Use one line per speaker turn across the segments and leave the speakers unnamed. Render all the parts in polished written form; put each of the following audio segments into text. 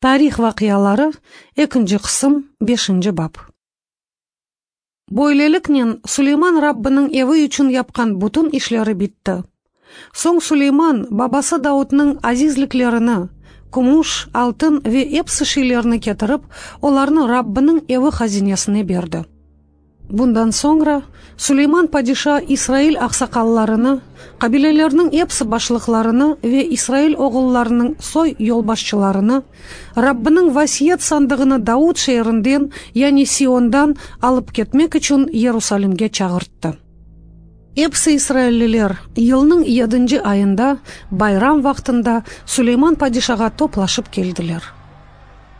Tarih vaqiaları, ekinci qısım, beşinci bap. Böyleliknen, Suleyman Rabbiniñ evi içün yapqan bütün işleri bitti. Soñ Suleyman babası Davudnıñ azizliklerini, kümüş, altın ve episi şeylerni ketirip, olarnı Rabbiniñ evi hazinesine berdi. Bundan soñra Suleyman padişa İsrail aqsaqallarını, qabilelerniñ episi başlıqlarını ve İsrail oğullarınıñ soy yolbaşçılarını Rabbiniñ vasiyet sandığını Davud şeerinden, yani Siondan, alıp ketmek içün Yerusalimge çağırttı. Episi israilliler yılnıñ yedinci ayında, bayram vaqtında Suleyman padişağa toplaşıp keldiler.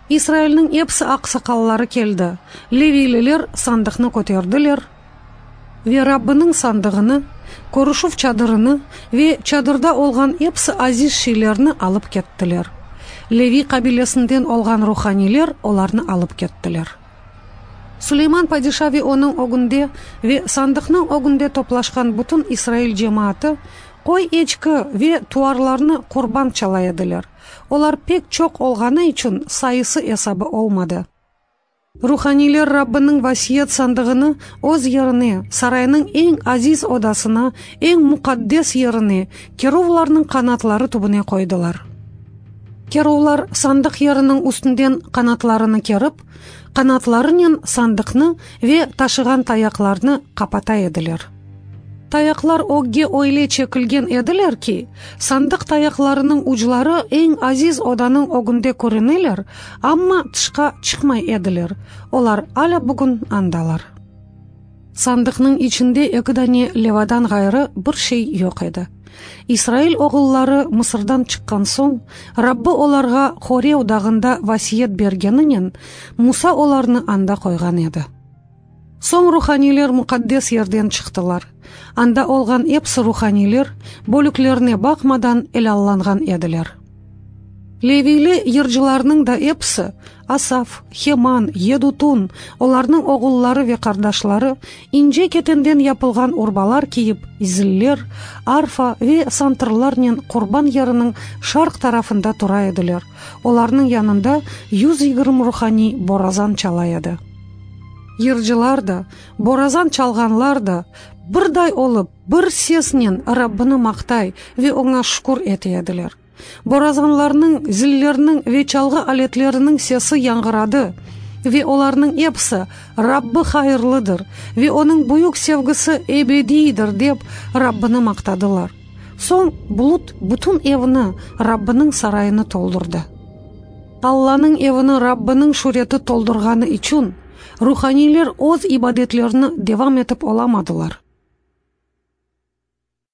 İsrailniñ episi aqsaqalları keldi, leviyliler sandıqnı köterdiler ve Rabbiniñ sandığını, körüşüv çadırını ve çadırda olğan episi aziz şeylerni alıp kettiler. Leviy qabilesinden olğan ruhaniyler olarnı alıp kettiler. Suleyman padişa ve onıñ ögünde ve sandıqnıñ ögünde toplaşqan bütün İsrail cemaatı qoy-eçki ve tuvarlarnı qurban çala ediler. Olar pek çoq olğanı içün sayısı-esabı olmadı. Ruhaniyler Rabbiniñ vasiyet sandığını öz yerine, saraynıñ eñ aziz odasına, eñ muqaddes yerine, keruvlarnıñ qanatları tübüne qoydılar. Keruvlar sandıq yeriniñ üstünden qanatlarını kerip, qanatlarınen sandıqnı ve taşığan tayaqlarnı qapata ediler. Tayaqlar ögge öyle çekilgen ediler ki, sandıq tayaqlarınıñ ucları eñ aziz odanıñ ögünde körüneler, amma tışqa çıqmay ediler. Olar alâ bugün andalar. Sandıqnıñ içinde eki dane levadan ğayrı bir şey yoq edi. İsrail oğulları Mısırdan çıqqan soñ, Rabbi olarğa Horev dağında vasiyet bergeninen, Musa olarnı anda qoyğan edi. Soñ ruhaniyler muqaddes yerden çıqtılar. Anda olğan episi ruhaniyler, bölüklerine baqmadan, elâllanğan ediler. Leviyli yırcılarnıñ da episi, Asaf, Heman, Yedutun, olarnıñ oğulları ve qardaşları, ince ketenden yapılğan urbalar kiyip, ziller, arfa ve santırlarnen qurban yeriniñ şarq tarafında tura ediler, olarnıñ yanında 120 ruhaniy borazan çala edi. Yırcılar da, borazan çalğanlar da, birday olıp, bir sesnen Rabbini maqtay ve oña şükür ete ediler. Borazanlarnıñ, zillerniñ ve çalğı aletleriniñ sesi yañğıradı, ve olarnıñ episi, Rabbi hayırlıdır, ve onıñ büyük sevgisi ebediydir, dep, Rabbini maqtadılar. Soñ bulut bütün evni, Rabbiniñ sarayını toldurdı. Allanıñ evini Rabbiniñ şüreti toldurğanı içün, ruhaniyler öz ibadetlerini devam etip olamadılar.